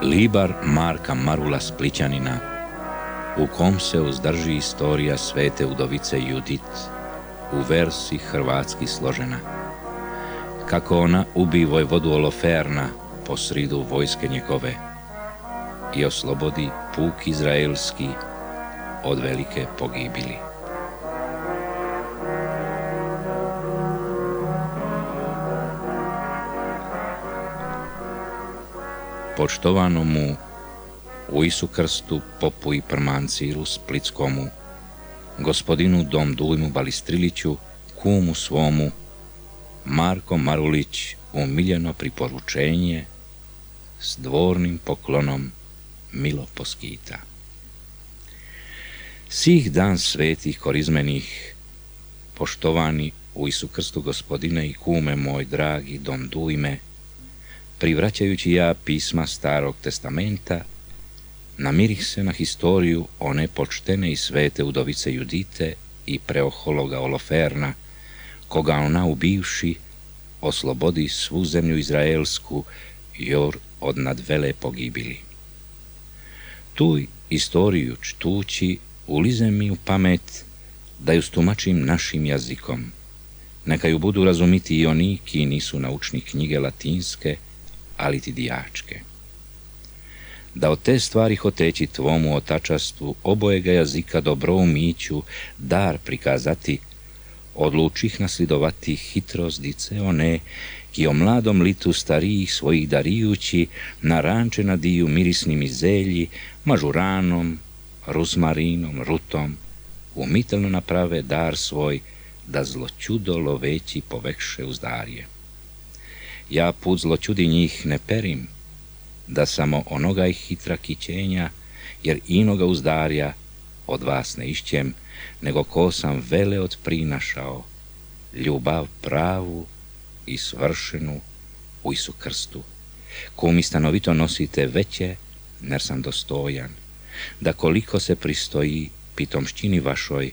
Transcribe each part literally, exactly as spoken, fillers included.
Libar Marka Marula Splićanina, u kom se uzdrži istorija svete udovice Judit, u versi hrvatski složena. Kako ona ubi vojvodu Oloferna posridu vojske njegove i oslobodi puk izraelski od velike pogibili. Poštovanom u Isu Krstu popu i prmancilu Splitskomu, gospodinu Dom Dujmu Balistriliću, kumu svomu, Marko Marulić umiljeno priporučenje s dvornim poklonom milo poskita. Sih dan svetih korizmenih, poštovani u Isu Krstu gospodine i kume moj dragi Dom Dujme, privraćajući ja pisma Starog testamenta, namirih se na historiju one počtene i svete udovice Judite i preohologa Oloferna, koga ona ubivši oslobodi svu zemlju izraelsku jor od nadvele pogibili. Tu istoriju čtući ulize mi u pamet da ju stumačim našim jezikom, neka ju budu razumiti i oni ki nisu naučni knjige latinske, ali ti dijačke. Da od te stvari hoteći tvomu otačastvu obojega jezika dobro umiću dar prikazati, odlučih naslidovati hitrozdice one, ki o mladom litu starijih svojih darijući na ranče nadiju mirisnim izelji, mažuranom, rusmarinom, rutom, umitelno naprave dar svoj, da zločudo loveći povekše uzdarje. Ja put zločudi njih ne perim, da samo onoga ih hitra kićenja, jer inoga uzdarja od vas ne išćem, nego ko sam vele od prinašao, ljubav pravu i svršenu u Isu Krstu, ko mi stanovito nosite veće, ner sam dostojan, da koliko se pristoji pitomšćini vašoj,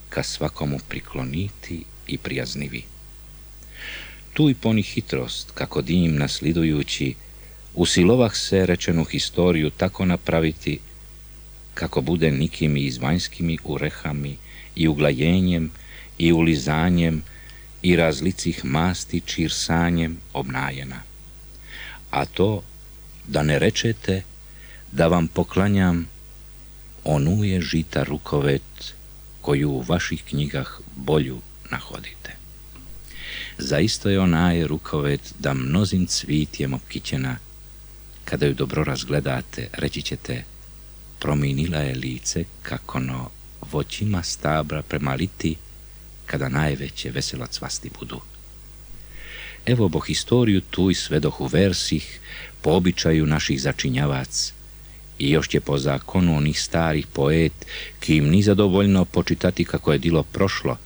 ka svakomu prikloniti i prijaznivi. Tu i poni hitrost, kako dim naslidujući, usilovah se rečenu historiju tako napraviti, kako bude nikimi izvanjskimi urehami i uglajenjem i ulizanjem i razlicih masti čirsanjem obnajena. A to da ne rečete da vam poklanjam onuje žita rukovet koju u vaših knjigah bolju nahodite. Zaisto je onaje rukovet da mnozim cvitjem opkićena, kada ju dobro razgledate, reći ćete, prominila je lice kako no voćima stabra prema liti, kada najveće veselo cvasti budu. Evo bo historiju tu i svedoh u versih, po običaju naših začinjavac, i još će po zakonu onih starih poet, ki im ni zadovoljno počitati kako je dilo prošlo,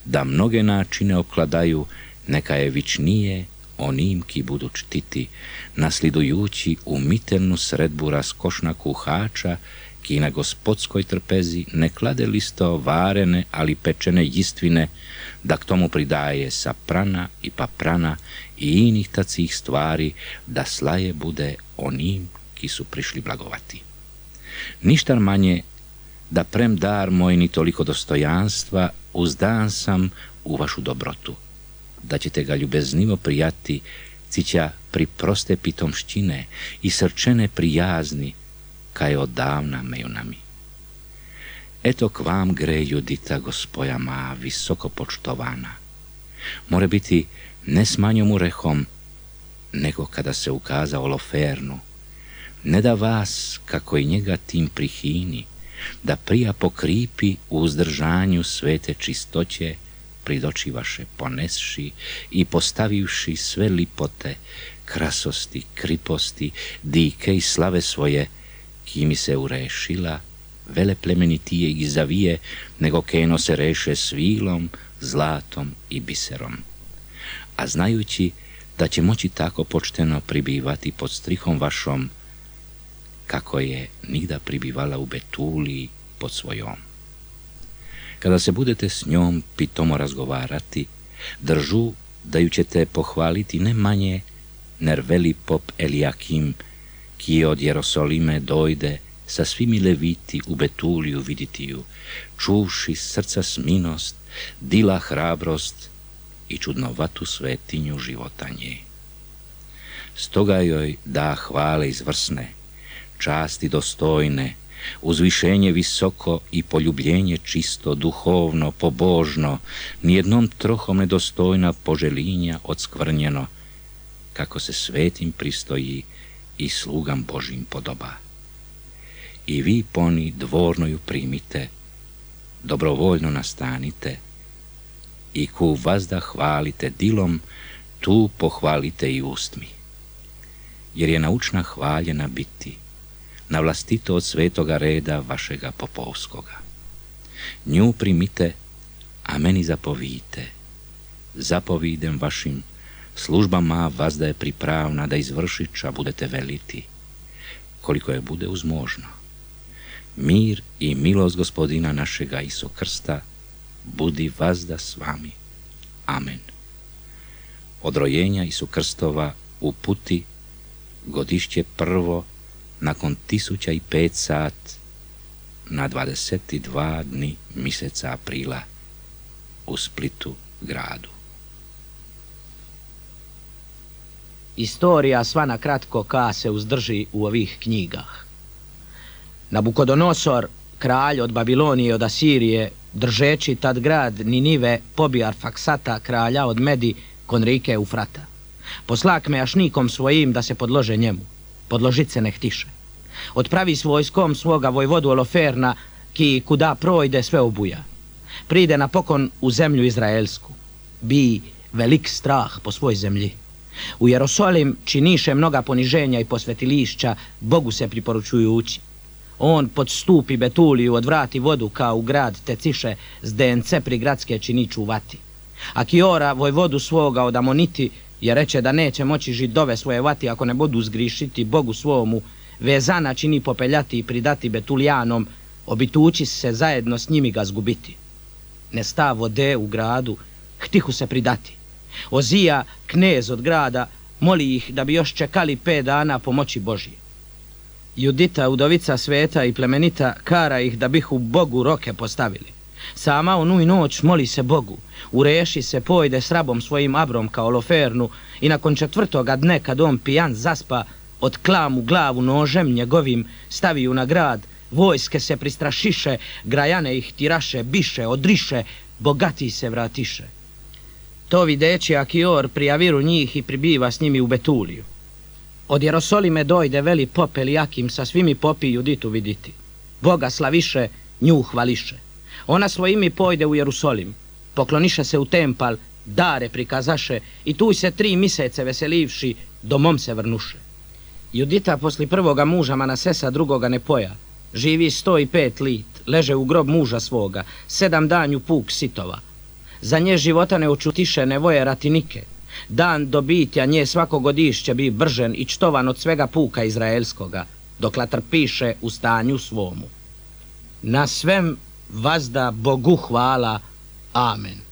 da mnoge načine okladaju, neka je vičnije onim ki budu čtiti, naslidujući umitelnu sredbu raskošna kuhača, ki na gospodskoj trpezi ne klade listo varene, ali pečene jistvine, da k tomu pridaje saprana i paprana i inih tacih stvari, da slaje bude onim ki su prišli blagovati. Ništa manje, da prem dar moj ni toliko dostojanstva, uzdan sam u vašu dobrotu, da ćete ga ljubeznivo prijati, cića pri proste pitomšćine i srčene prijazni, kaj odavna meju nami. Eto k vam gre Judita, gospoja ma, visoko počtovana. More biti ne s manjom urehom, nego kada se ukaza Olofernu, ne da vas, kako i njega tim prihini, da prija pokripi u uzdržanju svete čistoće, prid oči vaše ponesši i postavivši sve lipote, krasosti, kriposti, dike i slave svoje, ki mi se urešila, vele plemenitije i zavije, nego keno se reše svilom, zlatom i biserom. A znajući da će moći tako počteno pribivati pod strihom vašom, kako je nigda pribivala u Betuliji pod svojom. Kada se budete s njom pitomo razgovarati, držu da ju ćete pohvaliti ne manje, ner veli pop Eliakim, ki od Jerosolime dojde sa svimi leviti u Betuliju viditiju, čuvši srca sminost, dila hrabrost i čudnovatu svetinju života nje. Stoga joj da hvale izvrsne, časti dostojne, uzvišenje visoko i poljubljenje čisto, duhovno, pobožno, nijednom trohom nedostojna poželinja odskvrnjeno, kako se svetim pristoji i slugam Božim podoba. I vi poni dvorno ju primite, dobrovoljno nastanite, i ku vazda hvalite dilom, tu pohvalite i ustmi. Jer je naučna hvaljena biti, na vlastito od svetoga reda vašega popovskoga. Nju primite, a meni zapovijte. Zapovidem vašim službama vazda je pripravna da izvršića budete veliti, koliko je bude uzmožno. Mir i milost Gospodina našega Isu Krsta budi vazda s vami. Amen. Od rojenja Isu Krstova u puti godišće prvo nakon tisuća i pet sat na dvadeset dva dni mjeseca aprila u Splitu gradu. Istorija sva na kratko ka se uzdrži u ovih knjigah. Nabukodonosor, kralj od Babilonije i od Asirije, držeći tad grad Ninive, pobi Arfaksata, kralja od Medi, kon rike Eufrata. Poslak mejašnikom svojim da se podlože njemu. Podložit se ne htiše. Odpravi s vojskom svoga vojvodu Oloferna, ki kuda projde sve obuja. Pride napokon u zemlju Izraelsku. Bi velik strah po svoj zemlji. U Jerosolim činiše mnoga poniženja i posvetilišća, Bogu se priporučuju ući. On podstupi Betuliju, odvrati vodu kao u grad Teciše, s dence pri gradske čini čuvati. A Kiora, vojvodu svoga od Amoniti, je reče da neće moći židove svoje vati ako ne budu zgrišiti Bogu svomu, vezana čini popeljati i pridati Betulijanom, obitući se zajedno s njimi ga zgubiti. Ne sta vode u gradu, htihu se pridati. Ozija, knez od grada, moli ih da bi još čekali pet dana pomoći Božije. Judita, udovica sveta i plemenita, kara ih da bihu Bogu roke postavili. Sama onu i noć moli se Bogu, ureši se pojde s rabom svojim Abrom kao Olofernu i nakon četvrtoga dne kad on pijan zaspa, od klamu glavu nožem njegovim staviju na grad, vojske se pristrašiše, grajane ih tiraše, biše, odriše, bogati se vratiše. To videći Akior prijaviru njih i pribiva s njimi u Betuliju. Od Jerosolime dojde veli pop Elijakim sa svimi popi Juditu viditi. Boga slaviše, nju hvališe. Ona svojimi pojde u Jerusolim, pokloniše se u tempal, dare prikazaše i tu se tri misece veselivši, domom se vrnuše. Judita posli prvoga muža Manasesa drugoga ne poja, živi sto i pet lit, leže u grob muža svoga, sedam danju puk sitova. Za nje života ne očutiše nevoje ratinike. Dan dobitja nje svako godišće bi bržen i čtovan od svega puka izraelskoga, dokla trpiše u stanju svomu. Na svem vazda Bogu hvala. Amen.